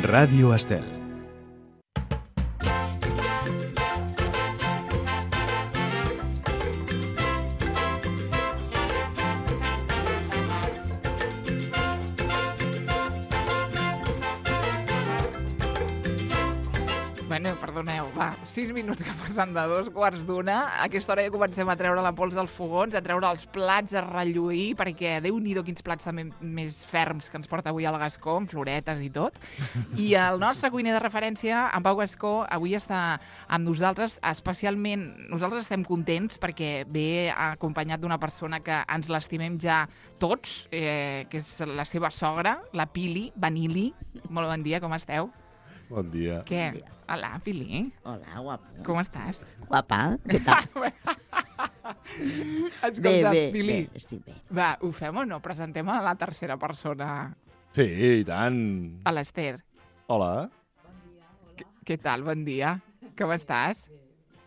Ràdio Estel. Bueno, perdoneu, va, 6 minuts que passen de 2:15. A aquesta hora ja comencem a treure la pols dels fogons, a treure els plats, a relluir, perquè Déu-n'hi-do quins plats també més ferms que ens porta avui el Gascó, amb floretes i tot. I el nostre cuiner de referència, en Pau Gascó, avui està amb nosaltres, especialment, nosaltres estem contents perquè ve acompanyat d'una persona que ens l'estimem ja tots, que és la seva sogra, la Pili Vanili. Molt bon dia, com esteu? Bon dia. Què? Bon dia. Hola, Pili. Hola, guapo. Com estàs? Guapa, què tal? Escolta, Pili. Bé, estic bé. Va, ho fem o no? Presentem a la tercera persona, Sí, i tant. a l'Ester. Hola. Què tal? Bon dia. Com estàs?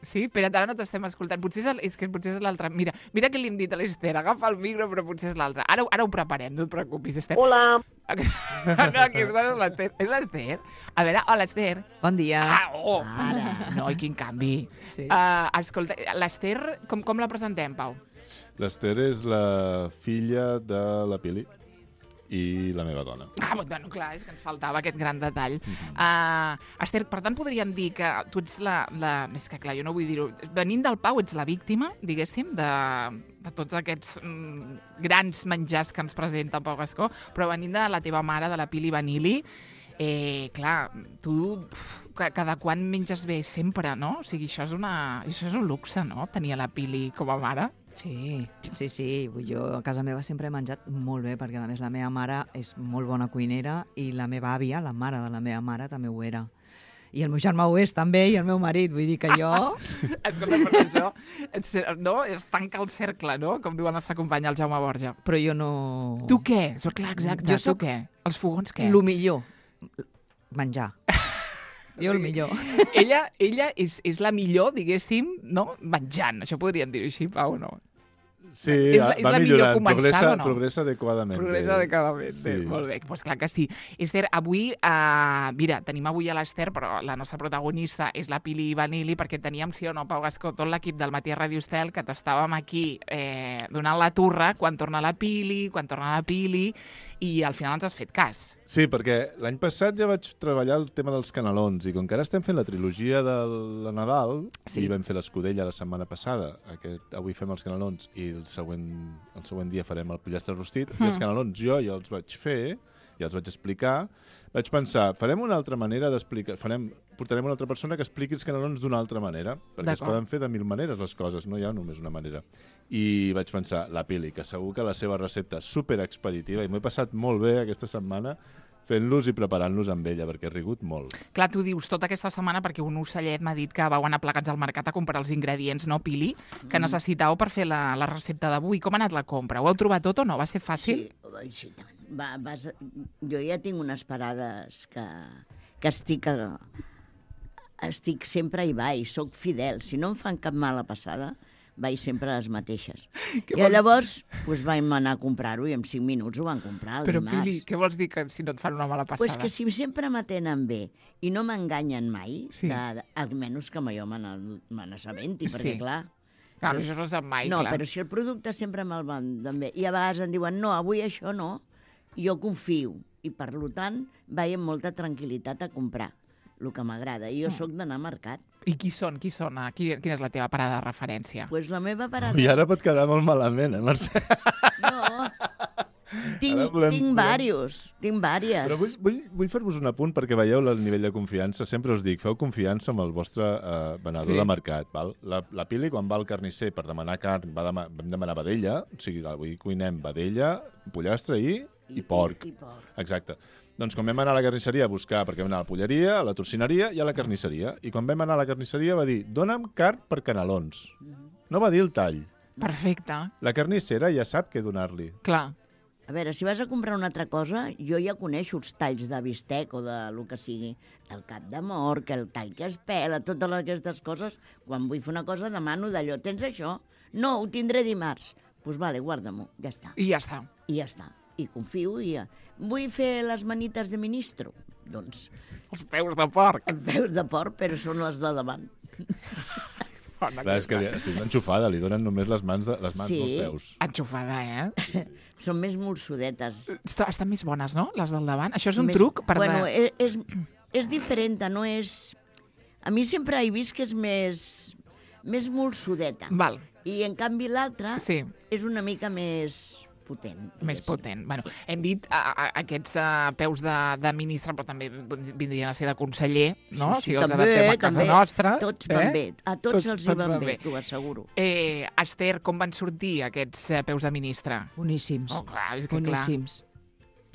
Sí? Espera't, ara no t'estem escoltant. Potser és l'altre. Mira què li hem dit a l'Ester. Agafa el micro, però potser és l'altre. Ara ho preparem, no et preocupis, Ester. Hola. No, aquesta no és l'Ester. És l'Ester? A veure, hola, Ester. Bon dia. Oh! Ara. No, i quin canvi. Sí. Escolta, l'Ester, com la presentem, Pau? L'Ester és la filla de la Pili i la meva dona. Bueno, clar, és que ens faltava aquest gran detall. Ester, per tant, podríem dir que tu ets és que, clar, jo no vull dir-ho. Venint del Pau, ets la víctima, diguéssim, de tots aquests grans menjars que ens presenta el Pau Gascó, però venint de la teva mare, de la Pili Vanili, clar, tu cada quan menges bé sempre, no? O sigui, això és un luxe, no?, tenir la Pili com a mare. Sí. Jo a casa meva sempre he menjat molt bé, perquè a més la meva mare és molt bona cuinera i la meva àvia, la mare de la meva mare, també ho era. I el meu germà ho és també, i el meu marit. Vull dir que jo... Escolta, per això, no? Es tanca el cercle, no?, com diuen el seu company, el Jaume Borja. Però jo no... Tu què? Clar, exacte, Jo soc tu què? Els fogons què? Lo millor. Menjar. Jo el millor. Ella és la millor, diguéssim, no? Menjant. Això podríem dir-ho així, Pau, no? Sí, És la va millor millorant. començant, o no? Progressa adequadament. Progressa adequadament. Sí. Molt bé, doncs clar que sí. Ester, avui, mira, tenim avui a l'Ester, però la nostra protagonista és la Pili Vanili, perquè teníem, sí o no, Pau Gascó, tot l'equip del Matí a Ràdio Estel, que t'estàvem aquí donant la turra quan torna la Pili, i al final ens has fet cas. Sí, perquè l'any passat ja vaig treballar el tema dels canelons, i com que ara estem fent la trilogia de la Nadal, Sí. i vam fer l'escudella la setmana passada, avui fem els canelons i el següent dia farem el pollastre rostit, i els canelons jo ja els vaig fer, ja els vaig explicar, vaig pensar, farem una altra manera d'explicar, portarem una altra persona que expliqui els canelons d'una altra manera, perquè es poden fer de 1000 maneres les coses, no hi ha només una manera. I vaig pensar, la Pili, que segur que la seva recepta és superexpeditiva, i m'ho he passat molt bé aquesta setmana fent-los i preparant-los amb ella, perquè he rigut molt. Clar, tu dius tota aquesta setmana perquè un ocellet m'ha dit que vau anar plegats al mercat a comprar els ingredients, no, Pili? Que necessitàveu per fer la recepta d'avui. Com ha anat la compra? Ho heu trobat tot o no? Va ser fàcil? Sí, tant. Jo ja tinc unes parades que estic sempre hi vaig, soc fidel. Si no em fan cap mala passada, vaig sempre a les mateixes. I llavors vam anar a comprar-ho i en 5 minuts ho van comprar el Però, dimarts. Pili, què vols dir que si no et fan una mala passada? Pues que si sempre m'atenen bé i no m'enganyen mai, Sí. almenys que jo me n'assabenti, perquè Sí. clar... Clar, això no es sap mai, No, clar. però si el producte sempre me'l venden bé, i a vegades em diuen, no, avui això no, jo confio, i per tant vaig amb molta tranquil·litat a comprar el que m'agrada, i jo sóc d'anar a mercat. I qui són? Quina és la teva parada de referència? Pues la meva parada... I ara pot quedar molt malament, Mercè? No, tinc Però vàries. vull fer-vos un apunt perquè veieu el nivell de confiança. Sempre us dic, feu confiança amb el vostre venedor de mercat. Val? La Pili, quan va al carnisser per demanar carn, vam demanar vedella, o sigui, avui cuinem vedella, pollastre i porc. Exacte. Doncs quan vam anar a la carnisseria a buscar, perquè vam anar a la polleria, a la torcineria i a la carnisseria, i quan vam anar a la carnisseria va dir, dona'm carn per canelons. No va dir el tall. Perfecte. La carnissera ja sap què donar-li. Clar. A veure, si vas a comprar una altra cosa, jo ja coneixo els talls de bistec o de lo que sigui, del cap de mort, el tall que es pela, totes aquestes coses. Quan vull fer una cosa demano d'allò, tens això? No, ho tindré dimarts. Doncs vale, guarda-m'ho, ja està. I ja està. I ja està. I confio i ja... Vull fer les manites de ministro. Doncs Els peus de porc. els peus de porc, però són els de davant. Clar, és que estic enxufada, li donen només les mans, Sí. dels peus. Enxufada, Són més molsudetes. Estan més bones, no?, les del davant. Això és un Més- truc per... Bueno, és diferent, no és... A mi sempre he vist que és més molsudeta. Val, I, en canvi, l'altra sí, és una mica més potent. més potent. Bueno, hem dit aquests peus de ministre, però també vindrien a ser de conseller, no? Sí, Si els també, adaptem a casa també. nostra. Tots van bé. A tots els hi van bé, t'ho asseguro. Esther, com van sortir aquests peus de ministre? Boníssims. Oh, clar, és que clar. Boníssims.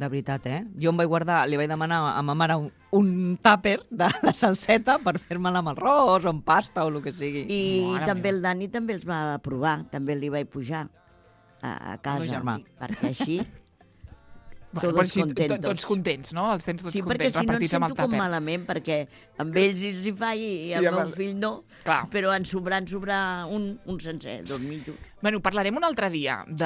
De veritat, Jo em vaig guardar, li vaig demanar a ma mare un tàper de salseta per fer-me-la amb arròs o amb pasta o el que sigui. I Mare també meva. el Dani també els va provar, també li vaig pujar a casa, germà. perquè així... Bueno, Todos però així, contentos. tots contents, no? Els tens tots Sí, perquè contents, si no em repartits amb el sento com tàper. malament, perquè amb ells els hi fa i el I amb meu el- fill no, Clar. però en sobrar un sencer, 2 mitjos. Bueno, parlarem un altre dia de...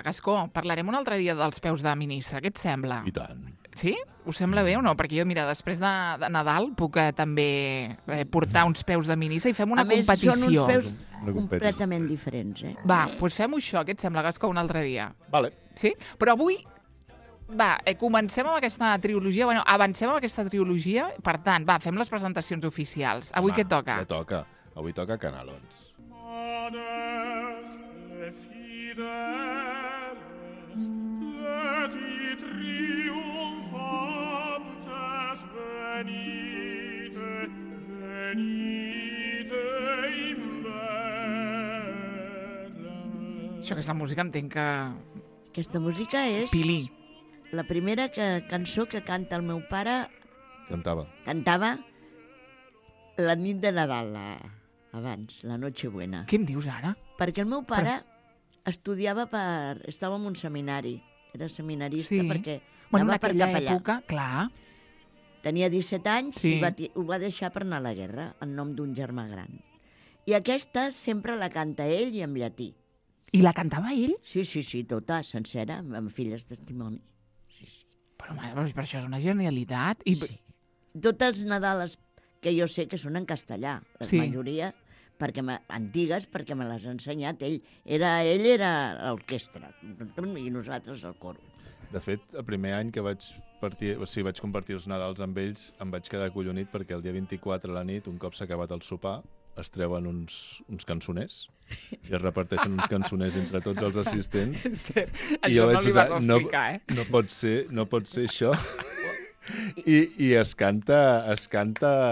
Gascó, parlarem un altre dia dels peus de ministre. Què et sembla? I tant. Sí? Us sembla bé o no? Perquè jo, mira, després de Nadal puc també portar uns peus de ministre i fem una A més, competició. són uns peus Una competició. completament diferents, Va, doncs fem-ho això. Què et sembla, Gascó, un altre dia? Vale. Sí? Però avui, va, comencem amb aquesta trilogia, bueno, avancem amb aquesta trilogia, per tant, va, fem les presentacions oficials. Avui què toca? Ja toca. Avui toca Canalons. Adeste fideles, leti triumphantes venite, venite in Betlem. Això, aquesta música entenc que... Aquesta música és Pili. la primera cançó que canta el meu pare, cantava la nit de Nadal, abans, la Nochebuena. Què em dius ara? Perquè el meu pare estudiava estava en un seminari, era seminarista Sí. perquè Bueno, en anava per aquella capellà. època, clar. Tenia 17 anys Sí. i ho va deixar per anar a la guerra, en nom d'un germà gran. I aquesta sempre la canta ell i en llatí. I la cantava ell? Sí, tota, sencera, amb filles de testimoni. Però, mare, però això és una genialitat. I... Sí. Tots els Nadales que jo sé que són en castellà, la Sí. majoria antigues, perquè me les ha ensenyat ell. Ell era l'orquestra i nosaltres el coro. De fet, el primer any que vaig compartir els Nadals amb ells, em vaig quedar collonit perquè el dia 24 a la nit, un cop s'ha acabat el sopar, es treuen uns cançoners i es reparteixen uns cançoners entre tots els assistents. Esther, I jo això no vaig li vas pensar, explicar, no pot ser això. I es canta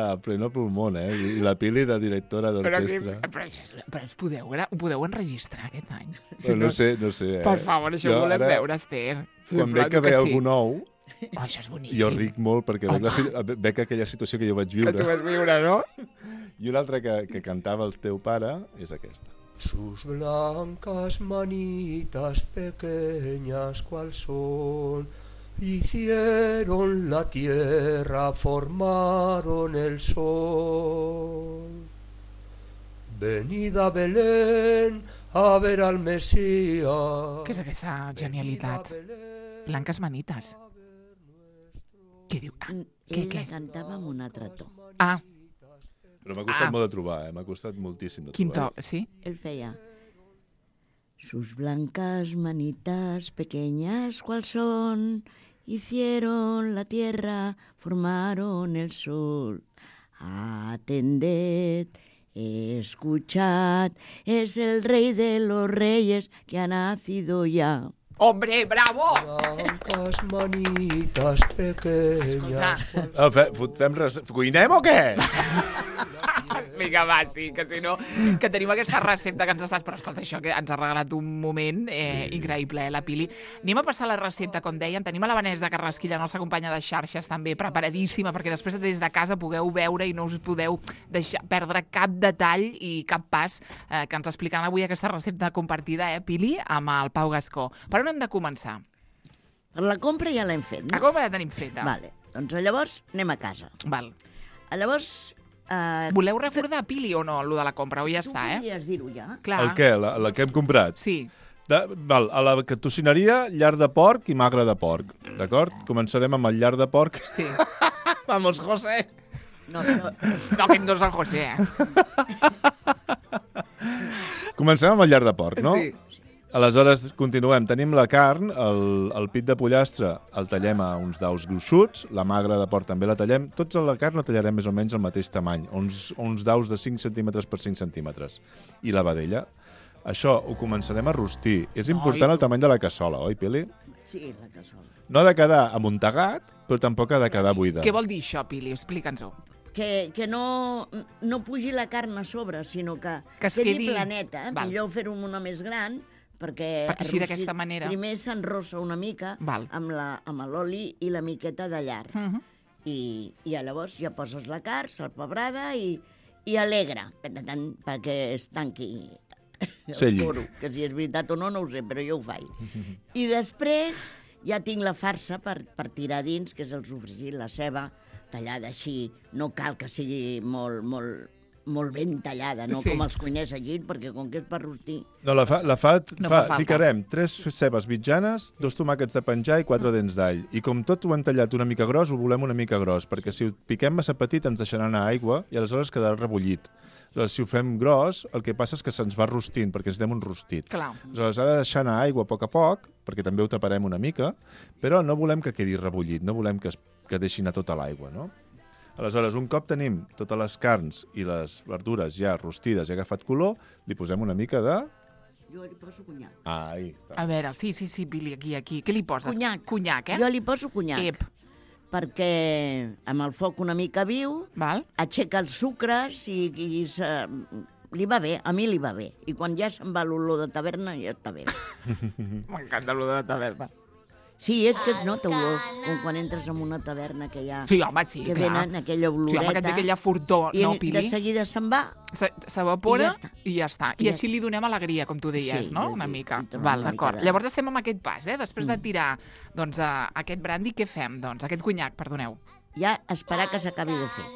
a pleno pulmón, I la Pili de directora d'orquestra. Però ho podeu enregistrar aquest any? No sé. Per favor, això ho volem veure, Esther. Quan veig que ve algú nou, Oh, això és boníssim. jo ric molt perquè veig aquella situació que jo vaig Que tu viure. vas viure, no? I una altra que cantava el teu pare és aquesta. Sus blancas manitas pequeñas cual son, hicieron la tierra, formaron el sol. Venid a Belén a ver al Mesías. Què és aquesta genialitat? Blanques manites. Què diu? Ah, Ell què? la cantava amb un altre to. Ah, Però m'ha costat molt de trobar, M'ha costat moltíssim de quin trobar. to, sí? Él feia... Sus blancas manitas pequeñas cual son, hicieron la tierra, formaron el sol. Atended, escuchad, es el rey de los reyes que ha nacido ya. Hombre, bravo! Blancas manitas pequeñas. Cuinem o què? Vinga, va, sí, que si no... Que tenim aquesta recepta que ens estàs... Però escolta, això que ens ha regalat un moment increïble, la Pili. Anem a passar la recepta, com deien. Tenim a la Vanessa Carrasquilla, la nostra companya de xarxes, també preparadíssima, perquè després des de casa pugueu veure i no us podeu perdre cap detall i cap pas que ens explicaran avui aquesta recepta compartida, Pili, amb el Pau Gascó. Per on hem de començar? La compra ja l'hem fet, La no? compra ja tenim feta. Vale, doncs llavors anem a casa. Val. Llavors... Voleu recordar, Pili, o no, allò de la compra? O ja està, Tu podries dir-ho ja? Clar. El què? La que hem comprat? Sí. Val, a la tocineria, llar de porc i magre de porc. D'acord? Començarem amb el llar de porc. Sí. Vamos, José. No, però... No, aquest no és el José, Comencem amb el llarg de porc, no? Sí. Aleshores, continuem. Tenim la carn, el pit de pollastre el tallem a uns daus gruixuts, la magra de porc també la tallem. Tots la carn la tallarem més o menys al mateix tamany, uns daus de 5 centímetres per 5 centímetres. I la vedella. Això ho començarem a rostir. És important el tamany de la cassola, oi, Pili? Sí, la cassola. No ha de quedar amuntegat, però tampoc ha de quedar buida. Què vol dir això, Pili? Explica'ns-ho. Que no pugi la carn a sobre, sinó que es quedi quedi- planeta. Val. Millor fer-ho una més gran, perquè així d'aquesta manera- primer s'enrossa una mica Val. amb l'oli i la miqueta de llar. I llavors ja poses la carn, salpebrada i alegra, perquè es tanqui el Selli. foro. Que si és veritat o no, no ho sé, però jo ho faig. I després ja tinc la farsa per tirar dins, que és el sofregit, la ceba, tallada així. No cal que sigui molt ben tallada, no Sí. com els cuiners allí, perquè com que és per rostir... No, no fa falta. ficarem 3 cebes mitjanes, 2 tomàquets de penjar i 4 dents d'all. I com tot ho hem tallat una mica gros, ho volem una mica gros, perquè si ho piquem massa petit ens deixarà anar aigua i aleshores quedarà rebullit. Aleshores, si ho fem gros, el que passa és que se'ns va rostint, perquè necessitem un rostit. Clar. Aleshores, ha de deixar anar aigua a poc, perquè també ho taparem una mica, però no volem que quedi rebullit, no volem que deixi anar tota l'aigua, no? Aleshores, un cop tenim totes les carns i les verdures ja rostides i agafat color, li posem una mica de... Jo li poso conyac. Ahí està. A veure, sí, Pili, aquí. Què li poses? Conyac. Conyac, Jo li poso conyac. Ep. Perquè amb el foc una mica viu, Val? aixeca els sucres i li va bé, a mi li va bé. I quan ja se'n va l'olor de taverna, ja està bé. M'encanta allò de taverna. Sí, és que es nota olor, com quan entres en una taverna que hi ha... Sí, home, sí, que clar. venen aquella Sí, oloreta... home, que té aquella fortor, I no, de Pili? seguida se'n va. S'evapora I ja està. I així li donem alegria, com tu deies, Sí, no? sí, Una sí, mica. li donem Val, una d'acord. mica de- Llavors estem amb aquest pas, Després de tirar doncs, aquest brandy, què fem? Doncs aquest conyac, perdoneu. Ja esperar que s'acabi de fer.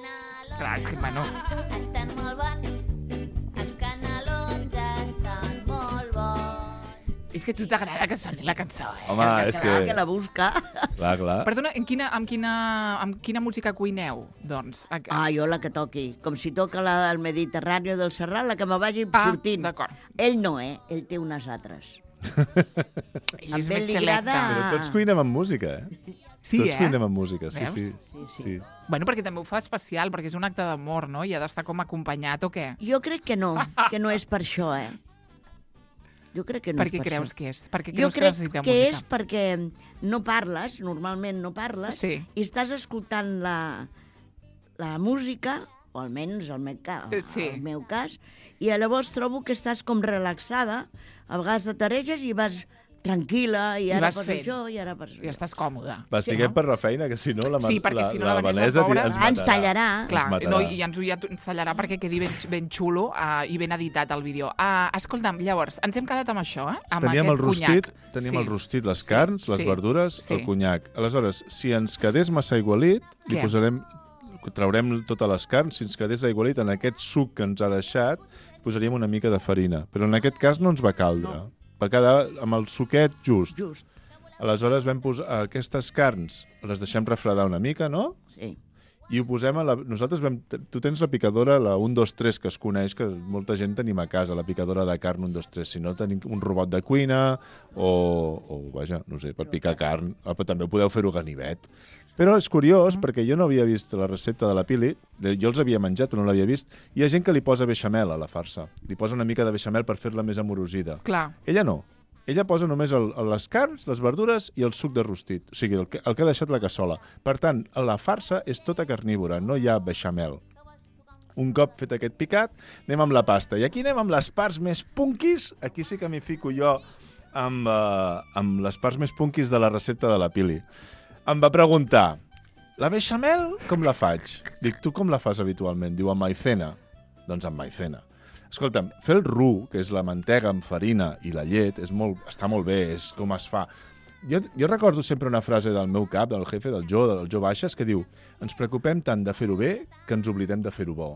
Clar, és que, bueno... Estan molt bons, els canelons estan molt bons. És que a tu t'agrada que soni la cançó, Home, és Serà que... que la busca. Clar. Perdona, amb quina música cuineu? Doncs... Jo la que toqui. Com si toca el Mediterrani del Serrat, la que me vagi sortint. D'acord. Ell no, Ell té unes altres. Ell és Amb més ell li selecte. agrada- Però tots cuinem amb música, Sí, Tots cuinem amb música, sí, Veus? sí. Sí. Bueno, perquè també ho fa especial, perquè és un acte d'amor, no? I ha d'estar com acompanyat, o què? Jo crec que no és per això, Jo crec que no Per és què per creus això. que és? Per què Jo creus que crec necessiteu que música? és perquè no parles, normalment no parles, Sí. i estàs escoltant la música, o almenys Sí. el meu cas, i llavors trobo que estàs com relaxada, a vegades t'areges i vas tranquil·la, i ara vas fas fent. això, i ara fas això. I estàs còmode. Estiguem per la feina, que si no la, Sí, perquè si no la Vanessa, pobra, Ens tallarà. Clar, matarà. no, i ens tallarà perquè quedi ben xulo i ben editat el vídeo. Escolta'm, llavors, ens hem quedat amb això, Amb Teníem aquest conyac. el rostit, les carns, les verdures, el conyac. Aleshores, si ens quedés massa aigualit, Què? traurem totes les carns, si ens quedés aigualit en aquest suc que ens ha deixat, posaríem una mica de farina. Però en aquest cas no ens va caldre. No. Va quedar amb el suquet just. Just, Aleshores vam posar aquestes carns, les deixem refredar una mica, no? sí. I ho posem a la... Nosaltres vam... Tu tens la picadora, la 1, 2, 3, que es coneix, que molta gent tenim a casa, la picadora de carn 1, 2, 3. Si no, tenim un robot de cuina o vaja, no sé, per picar carn. Però també podeu fer-ho ganivet. Però és curiós, perquè jo no havia vist la recepta de la Pili, jo els havia menjat, però no l'havia vist. Hi ha gent que li posa beixamel a la farsa. Li posa una mica de beixamel per fer-la més amorosida. Clar. Ella no. Ella posa només les carns, les verdures i el suc de rostit, o sigui, el que ha deixat la cassola. Per tant, la farsa és tota carnívora, no hi ha beixamel. Un cop fet aquest picat, anem amb la pasta. I aquí anem amb les parts més punquis. Aquí sí que m'hi fico jo amb les parts més punquis de la recepta de la Pili. Em va preguntar, la beixamel com la faig? Dic, tu com la fas habitualment? Diu, amb maicena. Doncs amb maicena. Escolta'm, fer el roux, que és la mantega amb farina i la llet, està molt bé, és com es fa. Jo recordo sempre una frase del meu cap, del jefe, del Jo Baixes, que diu, ens preocupem tant de fer-ho bé que ens oblidem de fer-ho bo.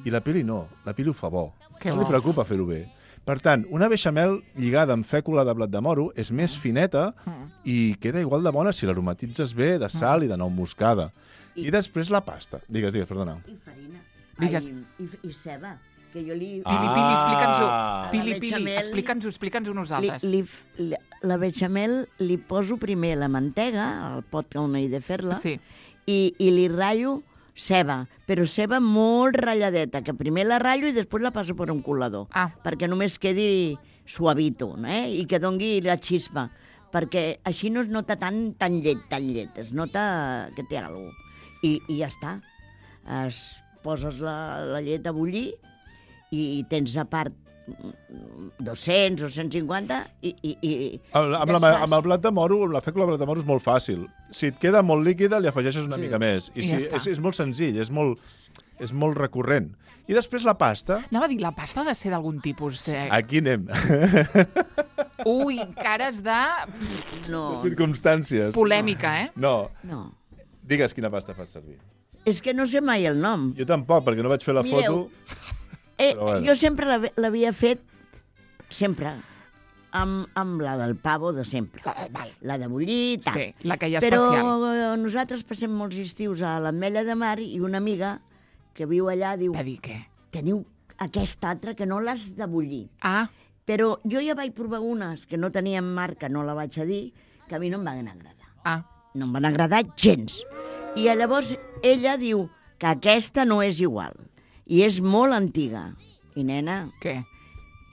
I la Pili no, la Pili ho fa bo. Que No bo. li preocupa fer-ho bé. Per tant, una beixamel lligada amb fècula de blat de moro és més fineta i queda igual de bona si l'aromatitzes bé de sal i de nou moscada. I després la pasta. Digues, perdona. I farina. Digues. I ceba, que jo li... Pili, explica'ns-ho. Ah. Pili, La bechamel- explica'ns-ho nosaltres. La bechamel li poso primer la mantega, al pot on he de fer-la, Sí. i li ratllo ceba, però ceba molt ratlladeta, que primer la ratllo i després la passo per un colador, perquè només quedi suavito, i que dongui la xispa, perquè així no es nota tan llet, es nota que té alguna cosa. I ja està. Poses la llet a bullir i tens a part 200 o 150 i Amb el blat de moro, amb la fècula de blat de moro és molt fàcil. Si et queda molt líquida, li afegeixes una mica més. I ja si, està. és molt senzill, és molt recurrent. I després la pasta... Anava a dir, la pasta ha de ser d'algun tipus... Aquí anem. Ui, cares de... No. Circumstàncies. Polèmica, eh? No. Digues quina pasta fas servir. És que no sé mai el nom. Jo tampoc, perquè no vaig fer la foto. Bueno. Jo sempre l'havia fet, sempre, amb la del pavo de sempre. La de bullir, tal. Sí, la que hi ha Però especial. nosaltres passem molts estius a l'Ametlla de Mar i una amiga que viu allà diu... Va dir què? Teniu aquesta altra que no l'has de bullir. Però jo ja vaig provar unes que no tenien marca, no la vaig a dir, que a mi no em van agradar. No em van agradar gens. I llavors ella diu que aquesta no és igual. I és molt antiga. I, nena... Què?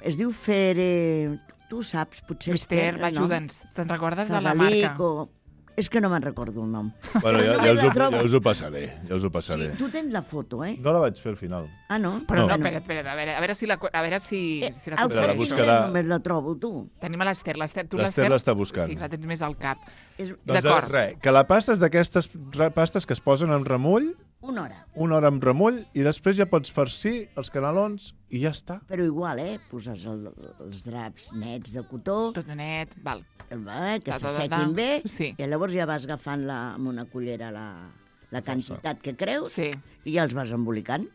Es diu Fere... Tu saps, potser... Esther, ajuda'ns. Te'n recordes de la marca? És que no me'n recordo el nom. Bueno, ja us ho passaré. Sí, tu tens la foto, eh? No la vaig fer al final. Ah, no? Però no, espera't, a veure si la El aconsegueixo. només la trobo, tu. Tenim a l'Esther. L'Esther l'està buscant. Sí, la tens més al cap. Doncs res, que la pasta és d'aquestes pastes que es posen en remull. Una hora. Una hora amb remull i després ja pots farcir els canelons i ja està. Però igual, poses els draps nets de cotó. Tot net, val. Que s'assequin bé. I llavors ja vas agafant amb una cullera la quantitat que creus i ja els vas embolicant.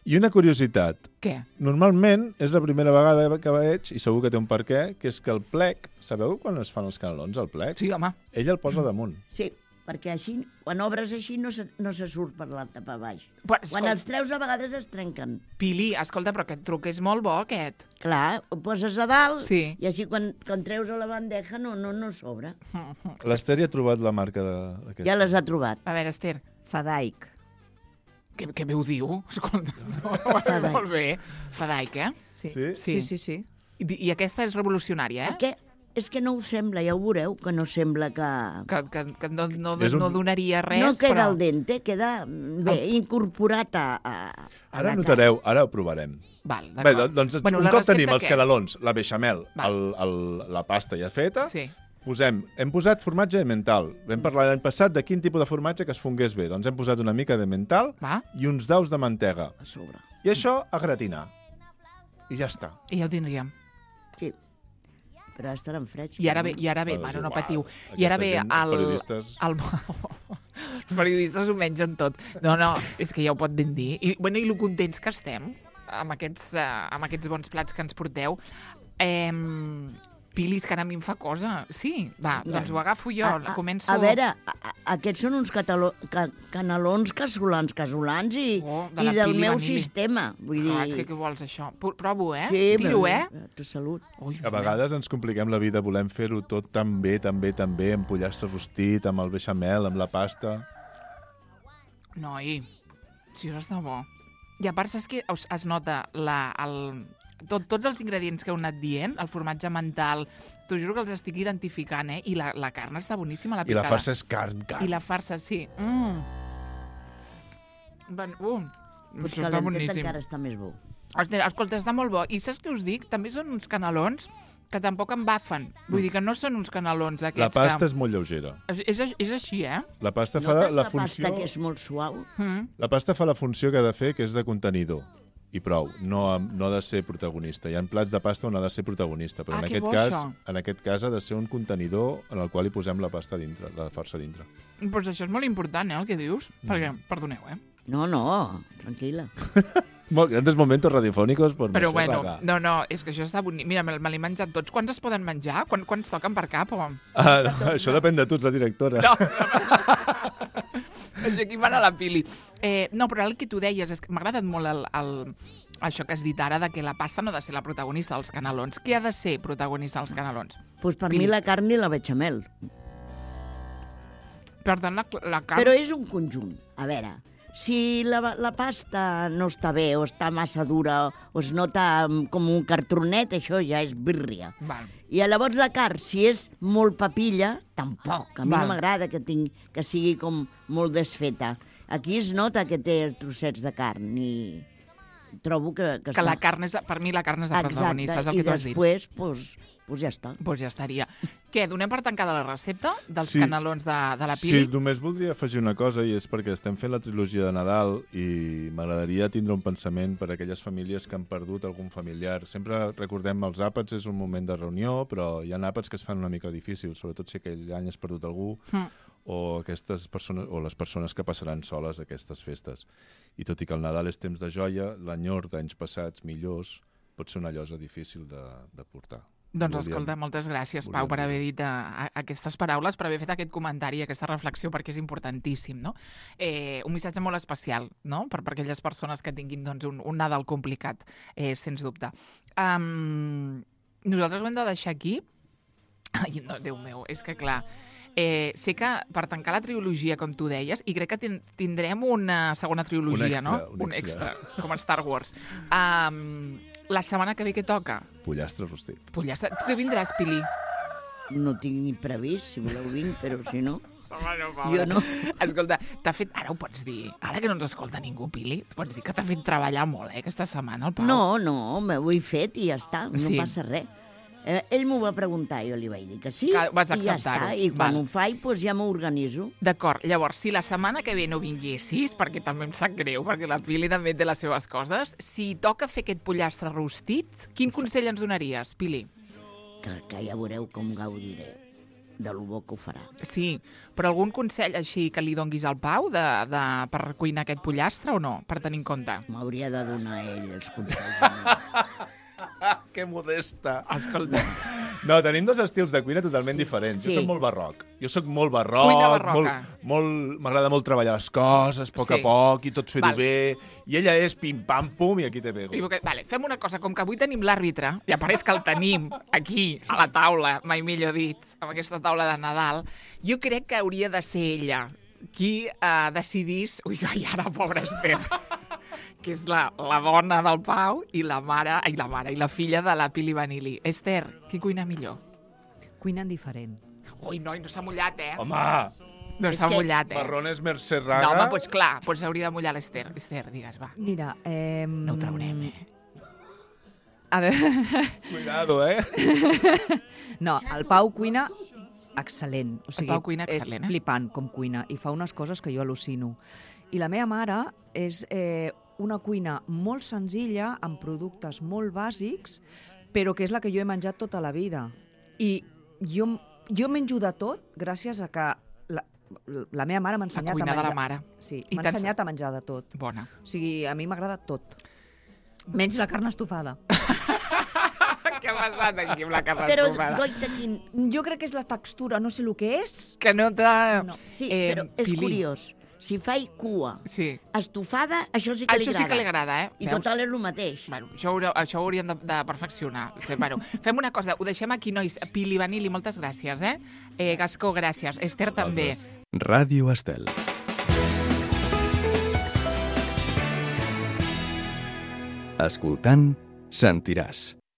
I una curiositat. Què? Normalment és la primera vegada que veig, i segur que té un per què, que és que el plec, sabeu quan es fan els canelons, el plec? Sí, home. Ell el posa damunt. Sí, perquè així, quan obres així, no se surt per la tapa baix. Però, quan els treus, a vegades es trenquen. Pili, escolta, però aquest truc és molt bo, aquest. Clar, ho poses a dalt i així quan treus a la bandeja no sobra. L'Esther ja ha trobat la marca d'aquest. Ja les ha trobat. A veure, Esther. Fadaic. Què bé ho diu? Escolta, molt bé. Fadaic, eh? Sí. I aquesta és revolucionària, eh? És que no ho sembla, ja ho veureu, que no sembla que no donaria res, no queda però... al dente, queda bé, incorporat a Ara notareu, ara ho provarem. Val, bé, doncs un cop tenim els canelons, la beixamel, la pasta ja feta, hem posat formatge emmental. Vam parlar l'any passat de quin tipus de formatge que es fongués bé. Doncs hem posat una mica d'emmental i uns daus de mantega. A sobre. I això a gratinar. I ja està. I ja ho tindríem. Sí. Però estaran freds. I ara ve, bueno, no patiu. I ara ve els periodistes ho mengen tot. No, és que ja ho pot ben dir. I lo contents que estem amb aquests bons plats que ens porteu. Pilis, que ara a mi em fa cosa. Sí, va, doncs ho agafo jo, començo... A veure, aquests són uns canelons casolans i del meu sistema. Vull dir... És que què vols, això? Provo, eh? Sí, tiro, Tu salut. A vegades ens compliquem la vida, volem fer-ho tot tan bé, amb pollastre rostit, amb el beixamel, amb la pasta... Noi, si això està bo. I a part, saps que es nota tots els ingredients que heu anat dient, el formatge mental, t'ho juro que els estic identificant, I la carn està boníssima, la picada. I la farsa és carn. I la farsa, sí. Potser l'entet encara està més bo. Escolta, està molt bo. I saps què us dic? També són uns canelons que tampoc embafen. Vull dir que no són uns canelons aquests. La pasta és molt lleugera. És així, eh? La pasta fa la funció... pasta que és molt suau? La pasta fa la funció que ha de fer, que és de contenidor. I prou, no ha de ser protagonista. Hi ha plats de pasta on ha de ser protagonista, però en aquest cas ha de ser un contenidor en el qual hi posem la pasta dintre, la farsa dintre. Doncs això és molt important, el que dius, perquè, perdoneu, No, tranquil·la. Grandes momentos radiofònicos per Però Mercè bueno, Raga. no, és que això està bonic. Mira, me l'he menjat tots. Quants es poden menjar? Quants toquen per cap? O... No, això depèn de tu, ets la directora. No. Aquí mana la Pili. No, però el que tu deies és que m'ha agradat molt això que has dit ara, de que la pasta no ha de ser la protagonista dels canelons. Què ha de ser protagonista dels canelons? Pues per Pili. mi la carn i la bechamel. Per tant, la carn... Però és un conjunt. A veure, si la pasta no està bé o està massa dura o es nota com un cartronet, això ja és birria. Val. I llavors la carn, si és molt papilla, tampoc. A mi Val. no m'agrada que sigui com molt desfeta. Aquí es nota que té trossets de carn i trobo que Que la carn és, per mi la carn és la protagonista, és el que tu has dit. I després, pues ja està. Doncs ja estaria. Què, donem per tancada la recepta dels Sí. canelons de la Pili? Sí, només voldria afegir una cosa, i és perquè estem fent la trilogia de Nadal i m'agradaria tindre un pensament per a aquelles famílies que han perdut algun familiar. Sempre recordem els àpats, és un moment de reunió, però hi ha àpats que es fan una mica difícils, sobretot si aquell any has perdut algú, o aquestes persones, o les persones que passaran soles aquestes festes. I tot i que el Nadal és temps de joia, l'enyor d'anys passats millors pot ser una llosa difícil de portar. Doncs escolta, moltes gràcies, Pau, per haver dit aquestes paraules, per haver fet aquest comentari, aquesta reflexió, perquè és importantíssim, no? Un missatge molt especial, no?, per aquelles persones que tinguin doncs, un Nadal complicat, sens dubte. Nosaltres ho hem de deixar aquí. Ai, no, Déu meu, és que clar... sé que per tancar la trilogia, com tu deies, i crec que tindrem una segona trilogia, un extra. Com a Star Wars. La setmana que ve què toca? Pollastre rostit. Pollastre. Tu què vindràs, Pili? No tinc ni previst, si voleu vinc, però si no... Jo Jo no. Escolta, t'ha fet... Ara ho pots dir. Ara que no ens escolta ningú, Pili, pots dir que t'ha fet treballar molt, aquesta setmana, el Pau. No, m'ho he fet i ja està, no Sí. passa res. Ell m'ho va preguntar, jo li vaig dir que sí, Que vas i ja acceptar-ho. està. I quan Val. ho faig, doncs ja m'organitzo. D'acord, llavors, si la setmana que ve no vinguessis, perquè també em sap greu, perquè la Pili també té les seves coses, si toca fer aquest pollastre rostit, quin consell ens donaries, Pili? Que ja veureu com gaudiré de lo bo que ho farà. Sí, però algun consell així que li donguis al Pau per cuinar aquest pollastre o no, per tenir en compte? M'hauria de donar ell els consells. Que modesta. Escolta, No, tenim dos estils de cuina totalment diferents. Sí. Jo soc molt barroc. Jo soc molt barroc. Cuina barroca. M'agrada molt treballar les coses, a Sí. poc i tot fer-ho Val. bé. I ella és pim-pam-pum i aquí te pego. vale, fem una cosa, com que avui tenim l'àrbitre, i a part és que el tenim aquí, a la taula, mai millor dit, amb aquesta taula de Nadal, jo crec que hauria de ser ella qui decidís... Ui, ai, ara, pobra Esther, que és la dona del Pau i la mare i la filla de la Pili Vanilli. Esther, qui cuina millor? Cuinen diferent. Ui, noi, no s'ha mullat, Home, No s'ha mullat, marrones Mercè Raga. No, home, doncs clar, doncs hauria de mullar l'Esther. Esther, digues, va. Mira, No ho traurem, A veure, Cuidado, no, el Pau cuina excel·lent. O sigui, Pau cuina excel·lent, és flipant com cuina i fa unes coses que jo al·lucino. I la meva mare és una cuina molt senzilla, amb productes molt bàsics, però que és la que jo he menjat tota la vida. I jo menjo de tot gràcies a que la meva mare m'ha ensenyat a cuina menjar. de la mare. Sí, I m'ha t'ha ensenyat a menjar de tot. Bona. O sigui, a mi m'agrada tot. Menys la carn estofada. Què ha passat aquí amb la carn Però, estofada? goita, quin... Jo crec que és la textura, no sé el que és. Que no t'ha... No. Sí, però és Pili. curiós. Si faig cua Sí. estofada, això sí que li Això agrada. sí que li agrada, I Veus? total és el mateix. Bueno, això ho hauríem de perfeccionar. Bueno, fem una cosa, ho deixem aquí, nois. Pili Vanilli, moltes gràcies, Gascó, gràcies. Esther també. Ràdio Estel. Escoltant, sentiràs.